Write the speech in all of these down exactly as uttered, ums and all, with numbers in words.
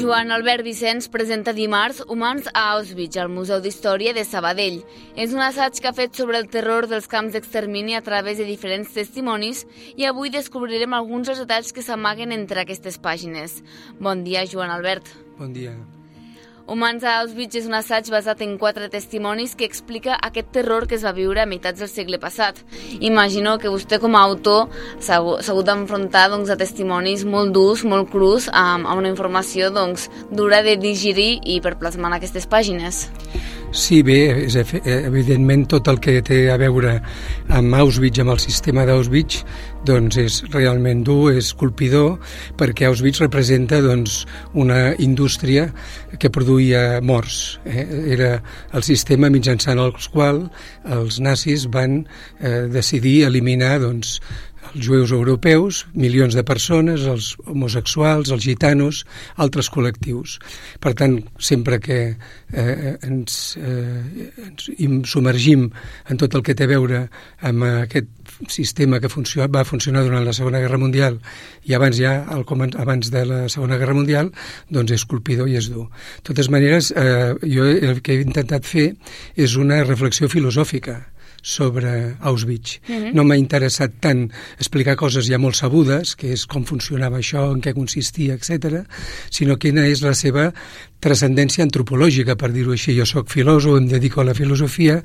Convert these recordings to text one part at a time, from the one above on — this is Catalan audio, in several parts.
Joan Albert Vicenç presenta dimarts Humans a Auschwitz, al Museu d'Història de Sabadell. És un assaig que ha fet sobre el terror dels camps d'extermini a través de diferents testimonis i avui descobrirem alguns dels detalls que s'amaguen entre aquestes pàgines. Bon dia, Joan Albert. Bon dia. Humans a Auschwitz és un assaig basat en quatre testimonis que explica aquest terror que es va viure a meitats del segle passat. Imagino que vostè com a autor s'ha hagut d'enfrontar doncs, a testimonis molt durs, molt crus, amb, amb una informació doncs, dura de digerir i per plasmar en aquestes pàgines. Sí, bé, és evidentment tot el que té a veure amb Auschwitz, amb el sistema d'Auschwitz, doncs és realment dur, és colpidor, perquè Auschwitz representa doncs, una indústria que produïa morts. Eh? Era el sistema mitjançant el qual els nazis van eh, decidir eliminar doncs, els jueus europeus, milions de persones, els homosexuals, els gitanos, altres col·lectius. Per tant, sempre que eh, ens, eh, ens submergim en tot el que té a veure amb aquest sistema que funcio- va funcionar durant la Segona Guerra Mundial i abans ja, el, abans de la Segona Guerra Mundial, doncs és colpidor i és dur. De totes maneres, eh, jo el que he intentat fer és una reflexió filosòfica sobre Auschwitz. Mm-hmm. No m'ha interessat tant explicar coses ja molt sabudes, que és com funcionava això, en què consistia, etcètera, sinó quina és la seva transcendència antropològica, per dir-ho així. Jo soc filòsof, em dedico a la filosofia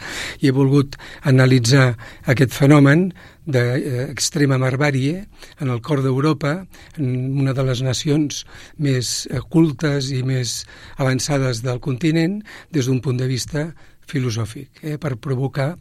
i he volgut analitzar aquest fenomen d'extrema barbàrie en el cor d'Europa, en una de les nacions més cultes i més avançades del continent, des d'un punt de vista filosòfic, eh, per provocar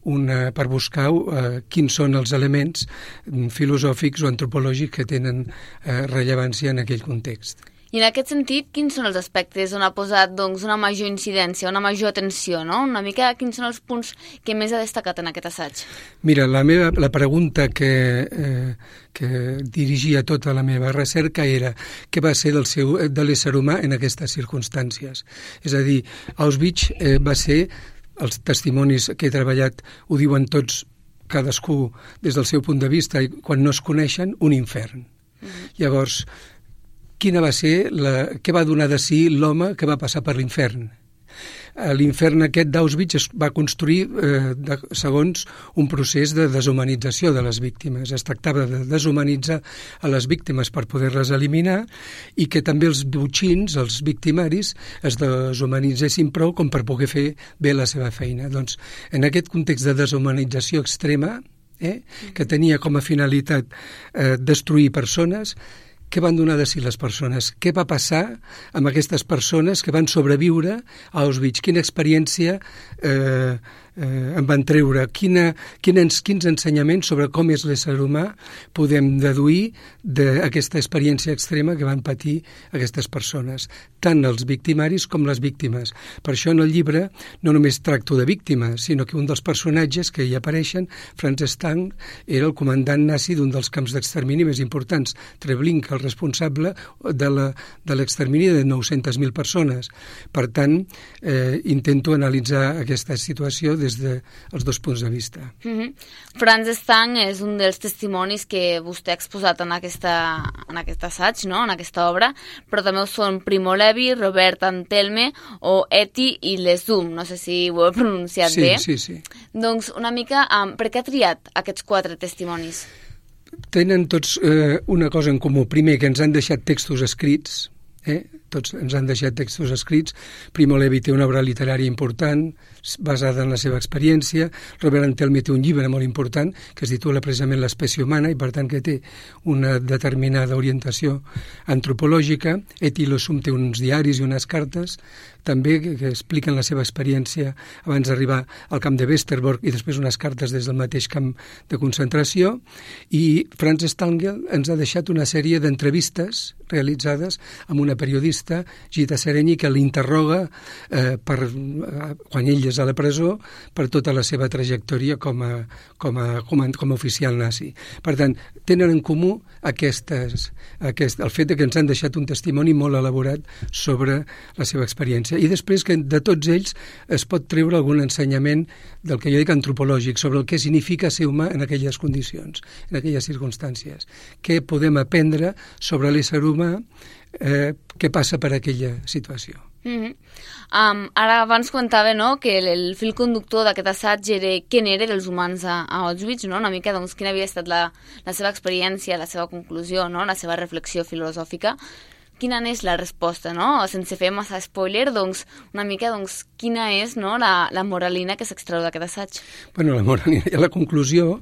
una, per buscar eh, quins són els elements filosòfics o antropològics que tenen eh, rellevància en aquell context. I en aquest sentit, quins són els aspectes on ha posat doncs, una major incidència, una major atenció, no? Una mica quins són els punts que més ha destacat en aquest assaig? Mira, la, meva, la pregunta que, eh, que dirigia tota la meva recerca era què va ser del seu, de l'ésser humà en aquestes circumstàncies. És a dir, Auschwitz eh, va ser, els testimonis que he treballat ho diuen tots, cadascú des del seu punt de vista, i quan no es coneixen, un infern. Mm-hmm. Llavors, quina va ser la, què va donar de si l'home que va passar per l'infern? L'infern aquest d'Auschwitz es va construir eh, de, segons un procés de deshumanització de les víctimes. Es tractava de deshumanitzar a les víctimes per poder-les eliminar i que també els botxins, els victimaris, es deshumanitzessin prou com per poder fer bé la seva feina. Doncs en aquest context de deshumanització extrema, eh, que tenia com a finalitat eh, destruir persones, què van donar de si les persones? Què va passar amb aquestes persones que van sobreviure a Auschwitz? Quina experiència eh, eh, en van treure? Quina, quins, quins ensenyaments sobre com és l'ésser humà podem deduir d'aquesta experiència extrema que van patir aquestes persones? Tant els victimaris com les víctimes. Per això en el llibre no només tracto de víctimes, sinó que un dels personatges que hi apareixen, Franz Stang, era el comandant nazi d'un dels camps d'extermini més importants, Treblinka, el responsable de la, de l'extermini de nou-centes mil persones. Per tant, eh, intento analitzar aquesta situació des dels dos punts de vista. Mm-hmm. Franz Stang és un dels testimonis que vostè ha exposat en, aquesta, en aquest assaig, no? En aquesta obra, però també ho són Primo Levi, Robert Antelme o Eti i Lesum, no sé si ho he pronunciat sí, bé. Sí, sí, sí. Doncs una mica, um, per què ha triat aquests quatre testimonis? Tenen tots eh, una cosa en comú. Primer, que ens han deixat textos escrits, eh? tots ens han deixat textos escrits. Primo Levi té una obra literària important, basada en la seva experiència. Robert Antelme té un llibre molt important que es titula precisament L'espècie humana i per tant que té una determinada orientació antropològica. Eti Lesum té uns diaris i unes cartes també que, que expliquen la seva experiència abans d'arribar al camp de Westerbork i després unes cartes des del mateix camp de concentració. I Franz Stangl ens ha deixat una sèrie d'entrevistes realitzades amb una periodista, Gita Sereny, que l'interroga eh, per, eh, quan ell és a la presó per tota la seva trajectòria com a, com a, com a, com a oficial nazi. Per tant, tenen en comú aquestes, aquest, el fet de que ens han deixat un testimoni molt elaborat sobre la seva experiència I després que de tots ells es pot treure algun ensenyament del que jo dic antropològic, sobre el que significa ser humà en aquelles condicions, en aquelles circumstàncies. Què podem aprendre sobre l'ésser humà, eh, què passa per aquella situació. Mm-hmm. um, ara abans comentava, no?, que el, el fil conductor d'aquest assaig era què n'era dels humans a, a Auschwitz, no? Una mica doncs, quina havia estat la, la seva experiència, la seva conclusió, no?, la seva reflexió filosòfica. Quina és la resposta, no? Sense fer massa spoiler, doncs, una mica, doncs, quina és, no?, la, la moralina que s'extreu d'aquest assaig? Bueno, la moralina i la conclusió,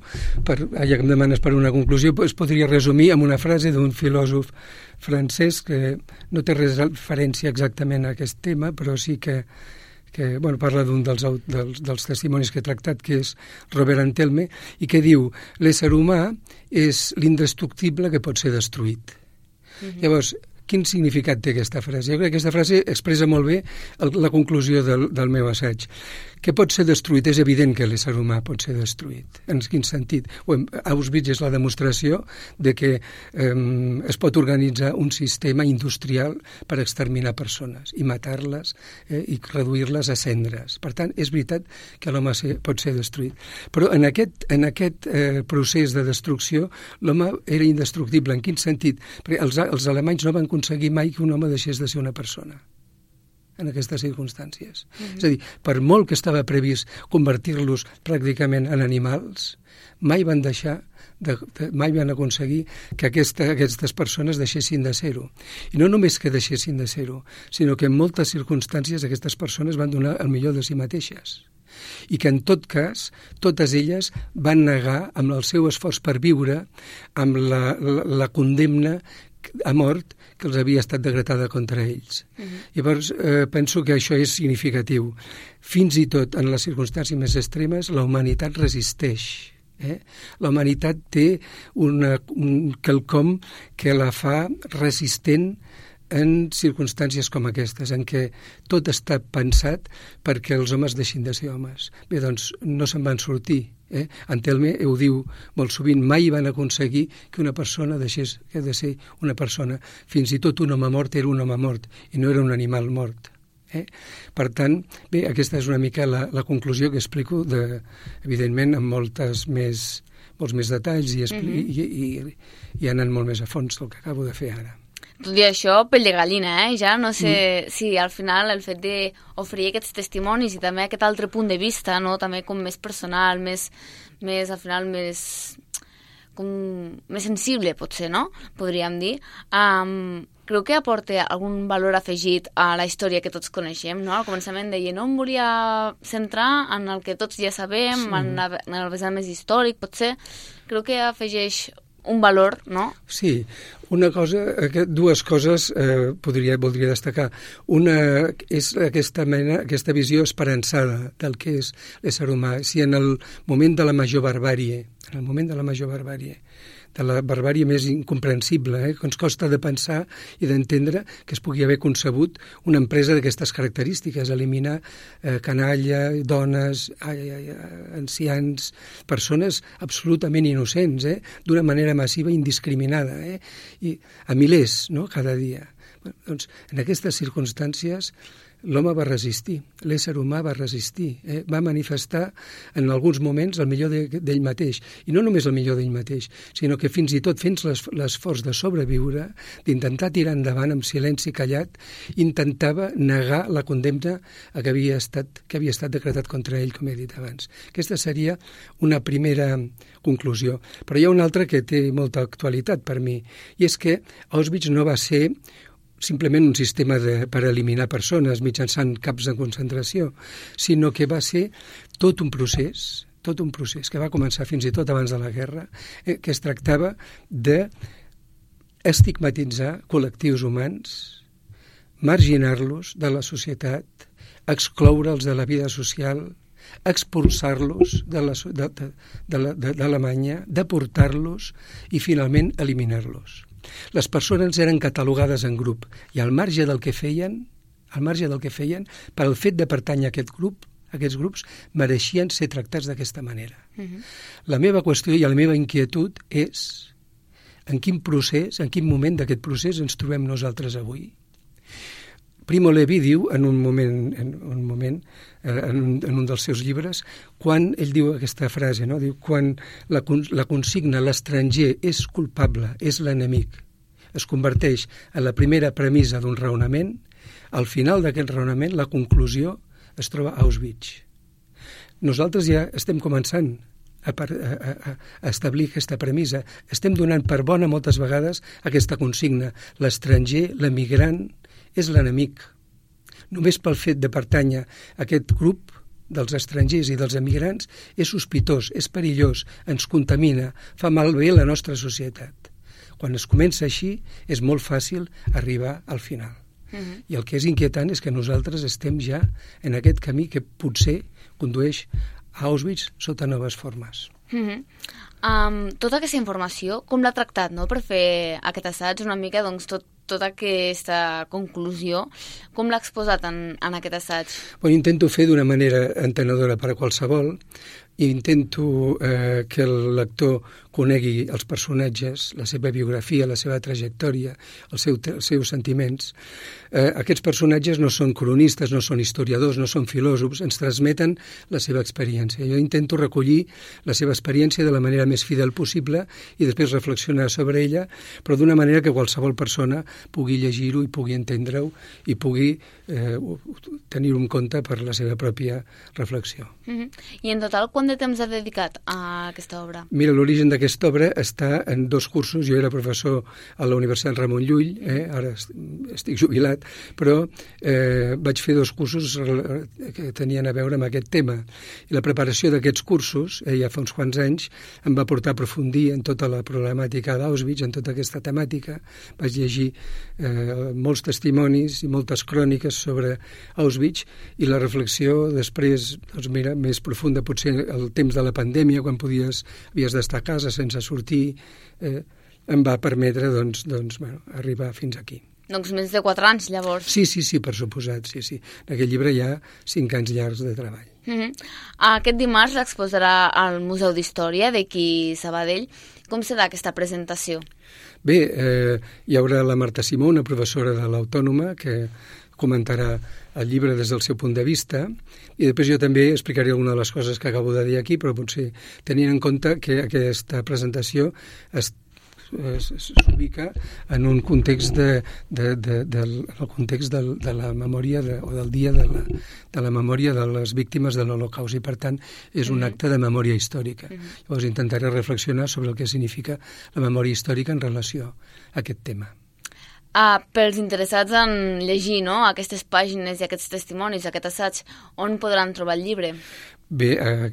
per, ja que em demanes per una conclusió, es podria resumir amb una frase d'un filòsof francès que no té res de referència exactament a aquest tema, però sí que, que bueno, parla d'un dels, dels, dels testimonis que he tractat, que és Robert Antelme, i que diu: l'ésser humà és l'indestructible que pot ser destruït. Mm-hmm. Llavors, quin significat té aquesta frase? Jo crec que aquesta frase expressa molt bé el, la conclusió del, del meu assaig. Què pot ser destruït? És evident que l'ésser humà pot ser destruït. En quin sentit? Bueno, Auschwitz és la demostració de que eh, es pot organitzar un sistema industrial per exterminar persones i matar-les eh, i reduir-les a cendres. Per tant, és veritat que l'home pot ser destruït. Però en aquest, en aquest eh, procés de destrucció l'home era indestructible. En quin sentit? Perquè els, els alemanys no van aconseguir mai que un home deixés de ser una persona en aquestes circumstàncies. Mm-hmm. És a dir, per molt que estava previst convertir-los pràcticament en animals, mai van deixar, de, de, mai van aconseguir que aquesta, aquestes persones deixessin de ser-ho. I no només que deixessin de ser-ho, sinó que en moltes circumstàncies aquestes persones van donar el millor de si mateixes. I que en tot cas, totes elles van negar amb el seu esforç per viure, amb la, la, la condemna a mort que els havia estat decretada contra ells. Uh-huh. Llavors, eh, penso que això és significatiu. Fins i tot en les circumstàncies més extremes, la humanitat resisteix. Eh? La humanitat té una, un quelcom que la fa resistent en circumstàncies com aquestes, en què tot està pensat perquè els homes deixin de ser homes. Bé, doncs, no se'n van sortir. Eh? Antelme ho diu molt sovint, mai van aconseguir que una persona deixés que de ser una persona. Fins i tot un home mort era un home mort i no era un animal mort. Eh? Per tant, bé, aquesta és una mica la, la conclusió que explico, de, evidentment, amb moltes més, molts més detalls i, expli- mm-hmm. i, i, i anant molt més a fons del que acabo de fer ara. Tot i això, pell de gallina, eh? Ja no sé mm. si al final el fet d'oferir aquests testimonis i també aquest altre punt de vista, no? També com més personal, més, més al final més, com, més sensible, potser, no? Podríem dir. Um, creu que aporta algun valor afegit a la història que tots coneixem, no? Al començament deia, no em volia centrar en el que tots ja sabem, sí. en, la, en el vessant més històric, potser. Creu que afegeix un valor, no? Sí, una cosa, dues coses eh, podria, voldria destacar. Una és aquesta mena, aquesta visió esperançada del que és l'ésser humà. Si en el moment de la major barbàrie, en el moment de la major barbàrie, de la barbàrie més incomprensible, eh, que ens costa de pensar i d'entendre que es pugui haver concebut una empresa d'aquestes característiques, eliminar eh, canalla, dones, ai, ai, ancians, persones absolutament innocents, eh, d'una manera massiva i indiscriminada, eh, i a milers, no?, cada dia. Bé, doncs, en aquestes circumstàncies l'home va resistir, l'ésser humà va resistir, eh? va manifestar en alguns moments el millor d'ell mateix. I no només el millor d'ell mateix, sinó que fins i tot fent l'esforç de sobreviure, d'intentar tirar endavant amb silenci callat, intentava negar la condemna que havia estat, que havia estat decretat contra ell, com he dit abans. Aquesta seria una primera conclusió. Però hi ha una altra que té molta actualitat per mi, i és que Auschwitz no va ser simplement un sistema de, per eliminar persones mitjançant camps de concentració, sinó que va ser tot un procés, tot un procés que va començar fins i tot abans de la guerra, eh, que es tractava de estigmatitzar col·lectius humans, marginar-los de la societat, excloure'ls de la vida social, expulsar-los de la, de, de, de, de, d'Alemanya, deportar-los i finalment eliminar-los. Les persones eren catalogades en grup i al marge del que feien, al marge del que feien, per al fet de pertànyer a aquest grup, aquests grups mereixien ser tractats d'aquesta manera. Uh-huh. La meva qüestió i la meva inquietud és en quin procés, en quin moment d'aquest procés ens trobem nosaltres avui. Primo Levi diu en un moment, en un, moment en, un, en un dels seus llibres, quan ell diu aquesta frase, no? Diu, quan la, la consigna l'estranger és culpable, és l'enemic, es converteix en la primera premissa d'un raonament, al final d'aquest raonament la conclusió es troba a Auschwitz. Nosaltres ja estem començant a, a, a, a establir aquesta premissa. Estem donant per bona moltes vegades aquesta consigna. L'estranger, l'emigrant, és l'enemic. Només pel fet de pertànyer a aquest grup dels estrangers i dels emigrants és sospitós, és perillós, ens contamina, fa malbé la nostra societat. Quan es comença així és molt fàcil arribar al final. Uh-huh. I el que és inquietant és que nosaltres estem ja en aquest camí que potser condueix a Auschwitz sota noves formes. Uh-huh. Um, tota aquesta informació, com l'ha tractat, no?, per fer aquest assaig, una mica, doncs, tot, tota aquesta conclusió, com l'ha exposat en, en aquest assaig? Bueno, intento fer d'una manera entenedora per a qualsevol, i intento eh, que el lector conegui els personatges, la seva biografia, la seva trajectòria, el seu, els seus sentiments. Eh, aquests personatges no són cronistes, no són historiadors, no són filòsofs, ens transmeten la seva experiència. Jo intento recollir la seva experiència de la manera més fidel possible i després reflexionar sobre ella, però d'una manera que qualsevol persona pugui llegir-ho i pugui entendre-ho i pugui eh, tenir-ho en compte per la seva pròpia reflexió. Mm-hmm. I en total, quant de temps ha dedicat a aquesta obra? Mira, l'origen d'aquesta obra està en dos cursos. Jo era professor a la Universitat Ramon Llull, eh? Ara estic jubilat, però eh, vaig fer dos cursos que tenien a veure amb aquest tema. I la preparació d'aquests cursos, eh, ja fa uns quants anys, em va portar a aprofundir en tota la problemàtica d'Auschwitz, en tota aquesta temàtica. Vaig llegir eh, molts testimonis i moltes cròniques sobre Auschwitz i la reflexió després, doncs mira, més profunda, potser el temps de la pandèmia, quan podies, havies d'estar a casa sense sortir, eh, em va permetre doncs, doncs, bueno, arribar fins aquí. Doncs més de quatre anys, llavors. Sí, sí, sí, per suposat, sí, sí. En aquest llibre hi ha cinc anys llargs de treball. Mm-hmm. Aquest dimarts l'exposarà al Museu d'Història d'aquí Sabadell. Com serà aquesta presentació? Bé, eh, hi haurà la Marta Simó, una professora de l'Autònoma, que comentarà el llibre des del seu punt de vista, i després jo també explicaré alguna de les coses que acabo de dir aquí, però potser tenint en compte que aquesta presentació es s'ubica en un context de, de, de, de, el context de, de la memòria de, o del dia de la, de la memòria de les víctimes de l'Holocaust, i per tant és un acte de memòria històrica. Mm-hmm. Llavors intentaré reflexionar sobre el que significa la memòria històrica en relació a aquest tema. Ah, pels interessats en llegir, no?, aquestes pàgines i aquests testimonis, aquest assaig, on podran trobar el llibre? Bé, eh,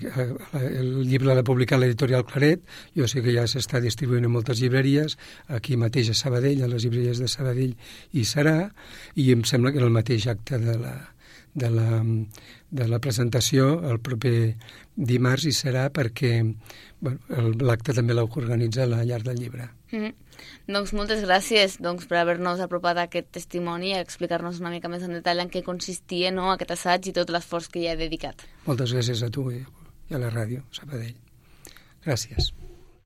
el llibre l'ha publicat l'editorial Claret, jo sé que ja s'està distribuint en moltes llibreries, aquí mateix a Sabadell, a les llibreries de Sabadell hi serà, i em sembla que en el mateix acte de la, de la, de la presentació, el proper dimarts hi serà, perquè bueno, l'acte també l'ha organitzat a la Llar del Llibre. Mm-hmm. Doncs moltes gràcies doncs, per haver-nos apropat a aquest testimoni i explicar-nos una mica més en detall en què consistia, no?, aquest assaig i tot l'esforç que hi ha dedicat. Moltes gràcies a tu i a la ràdio Sabadell. Gràcies.